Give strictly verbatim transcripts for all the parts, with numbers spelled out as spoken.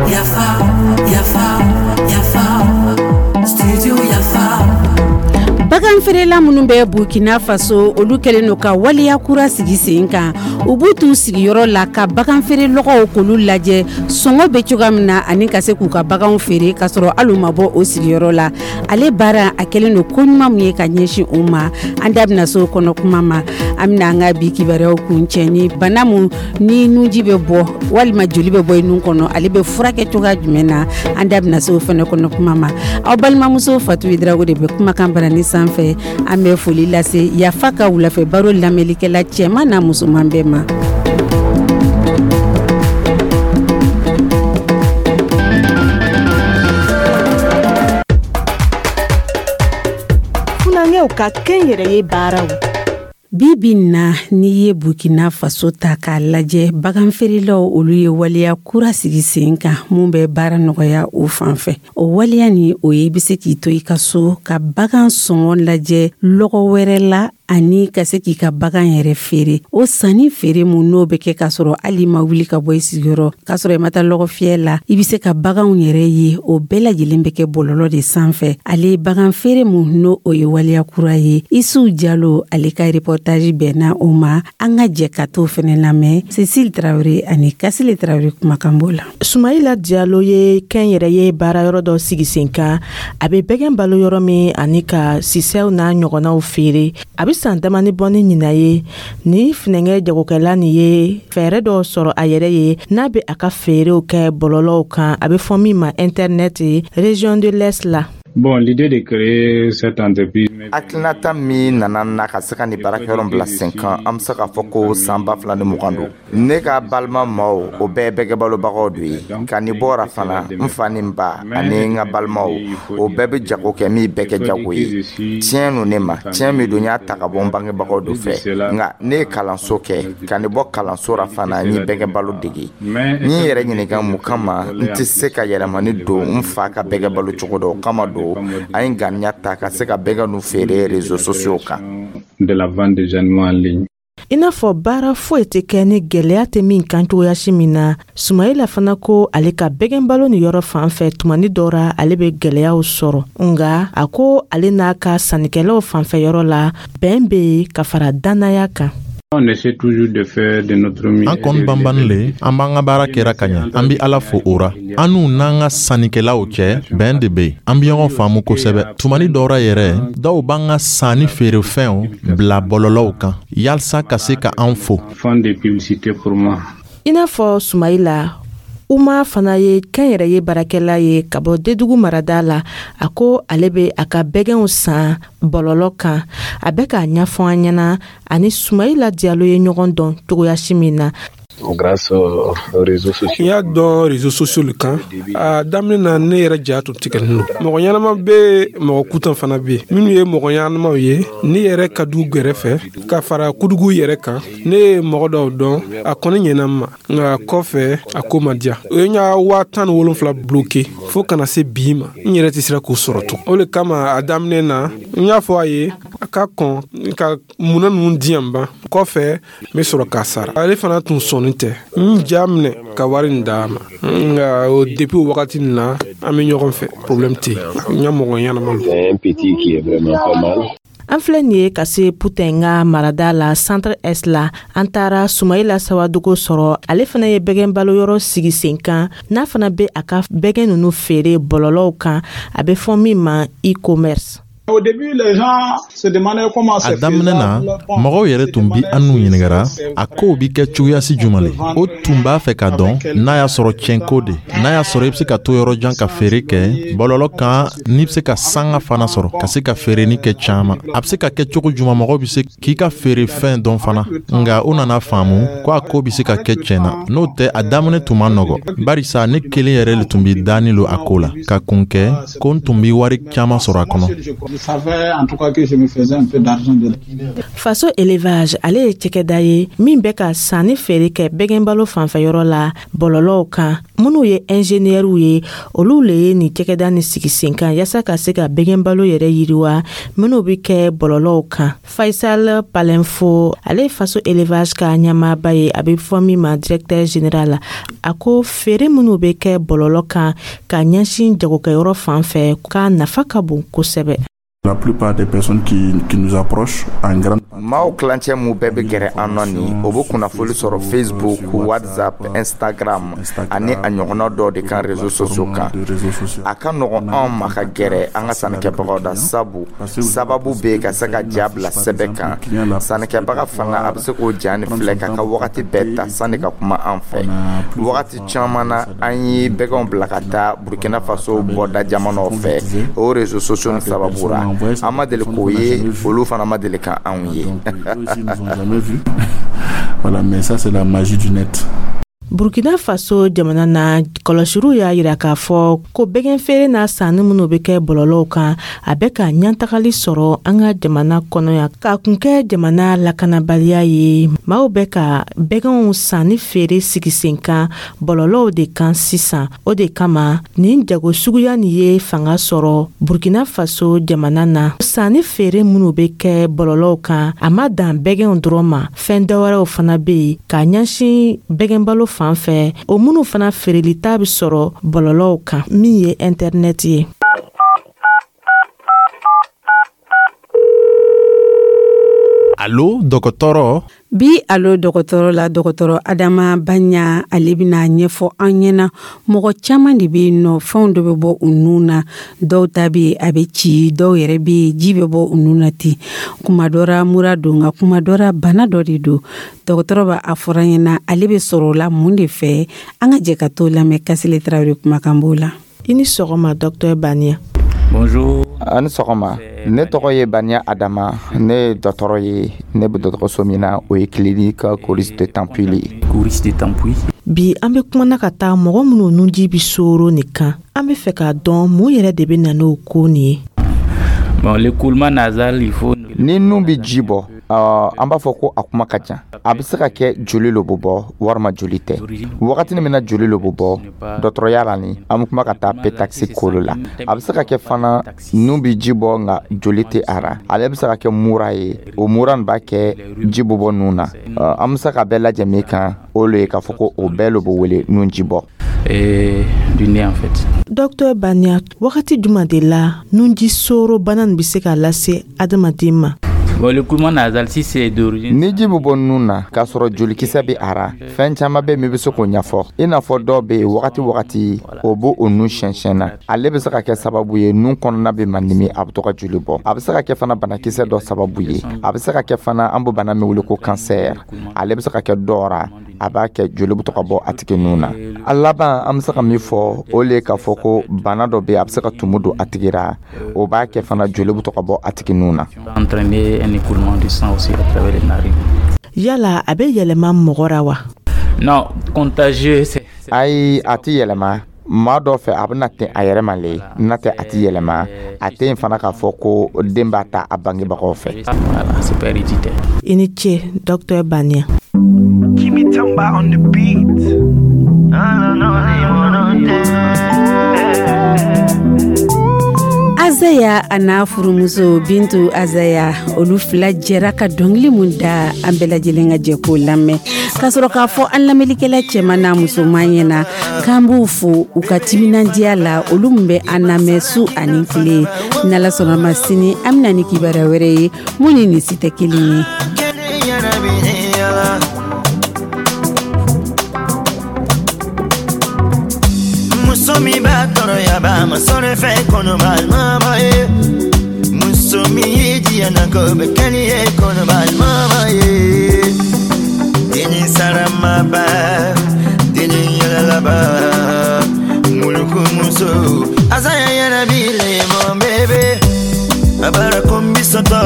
Yafa, Yafa, Yafa, Studio Yafa. Bagan feerela minnu bɛ Burkina Faso, olu kɛlen don ka waleya kura sigi sen kan. U b'u t'u sigiyɔrɔ la ka bagan feere lɔgɔw k'olu lajɛ, sɔngɔ bɛ cogoya min na, ani ka se k'u ka baganw feere k'a sɔrɔ hali u ma bɔ o sigiyɔrɔ la. Ale baara a kɛlen don ko ɲuman min ye ka ɲɛsin u ma, an da bɛna se o kɔnɔ kuma ma. An bɛna an ka bi kibaruyaw kuncɛ ni bana mun ni nunji bɛ bɔ walima joli bɛ bɔ i nun kɔnɔ, ale bɛ furakɛ cogoya jumɛn na, an da bɛna se o fana kɔnɔ kuma ma. Aw balimamuso Fatu Darago de bɛ kumakan barani sanfɛ. An bɛ foli lase Yafa ka wulafɛ baro lamɛnlikɛla cɛman n'a musoman bɛɛ ma. Funankɛw ka kɛnyɛrɛye baaraw. Bi bi na, n'i ye Burkina Faso ta k'a lajɛ, bagan feerelaw, olu ye waleya kura sigi sen kan mun bɛ baara nɔgɔya o fan fɛ. O waleya ni o ye, i bɛ se k'i to i ka so ka bagan sɔngɔ lajɛ lɔgɔ wɛrɛ la, ani ka se k'i ka bagan yɛrɛ feere. O sanni feere mun n'o bɛ kɛ k'a sɔrɔ hali ma wuli ka bɔ i sigiyɔrɔ, k'a sɔrɔ i ma taa lɔgɔ fiyɛ la, i bɛ se ka baganw yɛrɛ ye, o bɛɛ lajɛlen bɛ kɛ bɔlɔlɔ de sanfɛ. Ale bagan feere mun n'o o ye waleya kura ye, Isu Jalo, ale ka reportage bɛnna o ma. An ka jɛ ka t'o fɛnɛ lamɛn Cecile Tarawele ani Kasile Tarawele kumakan b'o la. Sumayila Jalo ye kɛnyɛrɛye baarayɔrɔ dɔ sigi sen kan. A bɛ bɛgɛn balo yɔrɔ min ani ka sisɛw n'a ɲɔgɔnnaw feere. A bɛ san damani bɔ ni ɲinan ye ni funɛngɛ jagokɛla nin ye fɛɛrɛ dɔw sɔrɔ a yɛrɛ ye n'a bɛ a ka feerew kɛ bɔlɔlɔw kan, a bɛ fɔ min ma internet, région de l'Est la. Bon, l'idée de créer cette entreprise. Hakilinata min nana na ka se ka nin baarakɛyɔrɔ bila sen kan, an bɛ se k'a fɔ ko san ba fila ni mugan don. Ne ka balima maaw, o bɛɛ bɛgɛbalobagaw de ye. Ka nin bɔra fana, n fa ni n ba ani n ka balimaw, o bɛɛ bɛ jago kɛ min bɛɛ kɛ jago ye. Tiɲɛ nu ne ma, tiɲɛ min don, n y'a ta ka bɔ n bangebagaw de fɛ. Nka ne ye kalanso kɛ. Ka nin bɔ kalanso ra fana, n ye bɛgɛbalo dege. N ye yɛrɛ ɲininka mun kama n tɛ se ka yɛlɛmani don n fa ka bɛgɛbalo cogo dɔ. O kama don an ye ŋaniya ta ka se ka bɛgɛ nu feere réseaux sociaux kan. De la vente des animaux en ligne. I n'a fɔ baara foyi tɛ kɛ ni gwɛlɛya tɛ min kan cogoyasi min na, Sumayila fana ko ale ka bɛgɛnbalo ni yɔrɔ fan fɛ, tumani dɔ ra ale bɛ gwɛlɛyaw sɔrɔ, nga a ko ale n'a ka sannikɛlaw fanfɛ yɔrɔ la, bɛn bɛ yen ka fara dannaya kan. On essaie toujours de faire de notre mieux. An kɔni banbani le, an b'an ka baara kɛra ka ɲa, an bi Ala fo o ra. An n'u n'an ka sannikɛlaw cɛ, bɛn de be yen, an bi ɲɔgɔn faamu kosɛbɛ. Tumani dɔw ra yɛrɛ, dɔw b'an ka sanni feerefɛnw bila bɔlɔlɔw kan yalisa ka se ka an fo. Font des publicités pour moi. I n'a fɔ Sumayila, Uma fana ye kɛnyɛrɛye baarakɛla ye ka bɔ Dedugu marada la. A ko ale bɛ a ka bɛgɛnw san bɔlɔlɔ kan. A bɛ k'a ɲɛfɔ an ɲɛna ani Sumayila Jalo ye ɲɔgɔn dɔn cogoyasi min na. Grâce aux réseaux sociaux. N y'a dɔn réseaux sociaux le kan. A daminɛ na, ne yɛrɛ ja tun tigɛlen don. Mɔgɔ ɲɛnama bɛ, mɔgɔ kutan fana bɛ yen. Minnu ye mɔgɔ ɲɛnamaw ye, ne yɛrɛ ka du gɛrɛfɛ ka fara kudugu yɛrɛ kan, ne ye mɔgɔ dɔw dɔn. A kɔni ɲɛna n ma, nka kɔfɛ a ko ma diya. O ye n ka waa tan ni wolonfila bloqué fo kana se bi ma, n yɛrɛ tɛ sera k'o sɔrɔ tun. O de kama, a daminɛ na, n y'a fɔ a ye a ka kɔn ka munna ninnu di yan ban, kɔfɛ n bɛ sɔrɔ k'a sara. Ale fana tun sɔnni tɛ, n ja minɛ ka wari nin d'a ma. Nka o depuis o wagati nin na, an bɛ ɲɔgɔn fɛ, problème tɛ yen. N ka mɔgɔ ɲɛnama don. C'est un petit qui est vraiment pas mal. An filɛ nin ye ka se Putɛn ka marada la, Centre Est la. An taara Sumayila Sawadogo sɔrɔ. Ale fana ye bɛgɛn baloyɔrɔ sigi sen kan n'a fana bɛ a ka bɛgɛn ninnu feere bɔlɔlɔw kan, a bɛ fɔ min ma e-commerce. Au début, les gens se demandaient comment A c'est daminɛ na, mɔgɔw yɛrɛ tun bi an n'u ɲiningara a kow bi kɛ cogoyasi juman le. O tun b'a fɛ ka dɔn n'a y'a sɔrɔ tiɲɛko de, n'a y'a sɔrɔ i be se ka to yɔrɔ jan ka feere kɛ bɔlɔlɔ kan, n'i be se ka sanga fana sɔrɔ ka se ka feereni kɛ caaman, a be se ka kɛ cogo juman, mɔgɔw be se k'i ka feere fɛn dɔn fana. Nga o nana faamu ko a ko be se ka kɛ tiɲɛ na. N'o tɛ, a daminɛ tun man nɔgɔ, barisa ne kelen yɛrɛ le tun bi dani lo a ko la ka kun kɛ ko n tun bi wari caaman sɔrɔ a kɔnɔ. savais en tout cas que je me faisais un peu d'argent dedans. Faso Élevage, ale ye cɛkɛda ye min bɛ ka sanni feere kɛ bɛgɛnbalo fanfɛyɔrɔ la bɔlɔlɔw kan. Minnu ye ɛnzeniyɛriw ye, olu le ye nin cɛkɛda ni sigi sen kan yaasa ka se ka bɛgɛnbalo yɛrɛ yiriwa minnu bɛ kɛ bɔlɔlɔw kan. Faisal Palenfo, ale ye Faso Élevage ka ɲɛmaaba ye, a bɛ fɔ min ma directeur général. A ko feere minnu bɛ kɛ bɔlɔlɔ kan ka ɲɛsin jagokɛyɔrɔ fan fɛ, k'a nafa ka bon kosɛbɛ. La plupart des personnes qui, qui nous approchent en grande Maaw kilancɛ mun bɛɛ bɛ gɛrɛ an nɔ nin, o bɛ kunnafoli sɔrɔ Facebook, WhatsApp, Instagram ani a ɲɔgɔnna dɔw de kan, réseaux sociaux kan. A ka nɔgɔn anw ma ka gɛrɛ an ka sannikɛbagaw da, sabu sababu bɛ yen ka se ka ja bila sɛbɛn kan. Sannikɛbaga fana, a bɛ se k'o ja ni filɛ k'a ka wagati bɛɛ ta sanni ka kuma an fɛ. Wagati caman na, an ye bɛgɛnw bila ka taa Burkina Faso bɔda jamanaw fɛ o réseaux sociaux ni sababu ra. An ma deli k'o ye, olu fana ma deli ka anw ye. Voilà, mais ça, c'est la magie du net. Burkina Faso jamana na, kɔlɔsiriw y'a yira k'a fɔ ko bɛgɛn feere n'a sanni minnu bɛ kɛ bɔlɔlɔw kan, a bɛ ka ɲɛtagali sɔrɔ an ka jamana kɔnɔ yan. K'a kun kɛ jamana lakanabaliya ye, maaw bɛ ka bɛgɛnw sanni feere sigi sen kan bɔlɔlɔw de kan sisan. O de kama nin jago suguya nin ye fanga sɔrɔ Burkina Faso jamana na. Sanni feere minnu bɛ kɛ bɔlɔlɔw kan, a ma dan bɛgɛnw dɔrɔn ma, fɛn dɔwɛrɛw fana bɛ yen k'a ɲɛsin bɛgɛnbalo fan fɛ, o minnu fana feerelita bɛ sɔrɔ bɔlɔlɔw kan min ye intɛrinɛti ye. Alo dɔgɔtɔrɔ. Bi alo dɔgɔtɔrɔ la, dɔgɔtɔrɔ Adama Banya, ale bɛna ɲɛfɔ an ɲɛna. Mɔgɔ caman de bɛ yen nɔ, fɛnw dɔ bɛ bɔ u nun na. Dɔw ta bɛ a bɛ ci, dɔw yɛrɛ bɛ yen, ji bɛ bɔ u nun na ten. Kuma dɔ la mura don, nka kuma dɔ la bana dɔ de don. Dɔgɔtɔrɔ b'a a fɔra an ɲɛna ale bɛ sɔrɔ o la mun de fɛ. An ka jɛ ka t'o lamɛn. Kasile Tarawele kumakan b'o la. I ni sɔgɔma, docteur Banya. Bonjour. A ni sɔgɔma. Ne tɔgɔ ye Banya Adama, ne ye dɔgɔtɔrɔ ye. Ne bɛ dɔgɔtɔrɔso min na, o ye clinique Coris de Tampouy ye. Coris de Tampouy. Bi an bɛ kumana ka taa mɔgɔ minnu nunji bɛ soro nin kan. An bɛ fɛ k'a dɔn mun yɛrɛ de bɛ na n'o ko nin ye. Bon, l'écoulement nasal, il faut Ni nun bɛ ji bɔ, uh, an b'a fɔ ko a kuma ka ca. A bɛ se ka kɛ joli lo bɛ bɔ walima joli tɛ. Wagati min na joli lo bɛ bɔ, dɔgɔtɔrɔya la ni an bɛ kuma ka taa pétaxi kolo la. A bɛ se ka kɛ fana nun bɛ ji bɔ, nka joli tɛ a ra. Ale bɛ se ka kɛ mura ye, o mura nin b'a kɛ ji bɛ bɔ nun na. Uh, an bɛ se ka bɛɛ lajɛ min kan, o le ye k'a fɔ ko o bɛɛ lo bɛ wele nun ji bɔ. Et du nez en fait. Docteur Banya, wagati jumɛn de la nunji soro bana nin bɛ se ka lase adamaden ma? Bon, l'écoulement nasal, si c'est d'origine Ni ji bɛ bɔ nun na k'a sɔrɔ jolikisɛ bɛ a ra, fɛn caman bɛ min bɛ se k'o ɲɛfɔ. I n'a fɔ dɔw bɛ yen, wagati wagati o b'o o nun siɲɛsiɲɛ na. Ale bɛ se ka kɛ sababu ye nun kɔnɔna bɛ mandimi, a bɛ to ka joli bɔ. A bɛ se ka kɛ fana banakisɛ dɔ sababu ye. A bɛ se ka kɛ fana an bɛ bana min wele ko cancer, ale bɛ se ka kɛ dɔw ra, a b'a kɛ joli bɛ to ka bɔ a tigi nun na. A laban, an bɛ se ka min fɔ, o le ye k'a fɔ ko bana dɔ bɛ yen, a bɛ se ka tumu don a tigi ra, o b'a kɛ fana joli bɛ to ka bɔ a tigi nun na. Entraîner un écoulement du sang aussi à travers les narines. Yala a bɛ yɛlɛma mɔgɔ ra wa? Non, contagieux, c'est Ayi, a tɛ yɛlɛma maa dɔ fɛ. A bɛna ten a yɛrɛ ma le, n'a tɛ a tɛ yɛlɛma. A tɛ yen fana k'a fɔ ko den b'a ta a bangebagaw fɛ. Voilà, c'est pas héréditaire. I ni ce, docteur Banya. Kimi Tamba on the beat. Azaya a n'a furumuso Bintu Azaya, olu fila jɛra ka dɔnkili mun da, an bɛɛ lajɛlen ka jɛ k'o lamɛn k'a sɔrɔ k'a fɔ an lamɛnlikɛla cɛman n'a musoman ɲɛna k'an b'u fo u ka timinandiya la, olu min bɛ an lamɛn su ani tile. N'Ala sɔnna ma, sini an bɛna ni kibaruya wɛrɛ ye mun ni nin si tɛ kelen ye. Muso min b'a tɔɔrɔya b'a ma sɔrɔ fɛn kɔnɔ balimama ye. Muso min y'i diya na ko bɛ kɛ ni ye kɔnɔ balimama ye. Denni saramaba, denni yɛlɛlaba, muluku muso. Azaya yɛrɛ b'i le mon bébé. Abara kombi sɔtɔ,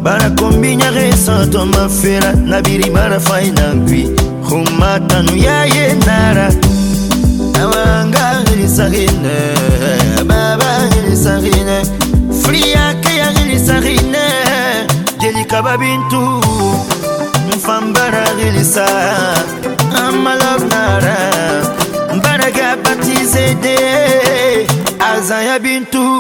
bara kombi ɲage sɔtɔ ma fera nabiri mara faina nkui. Humma tanu ya ye nara. Awanga hili sahine, baba hili sahine. Free Sarine Jelikaba Bintu Mfambara Rilisa Amalov Nara Baraga baptisé de Azaya Bintu.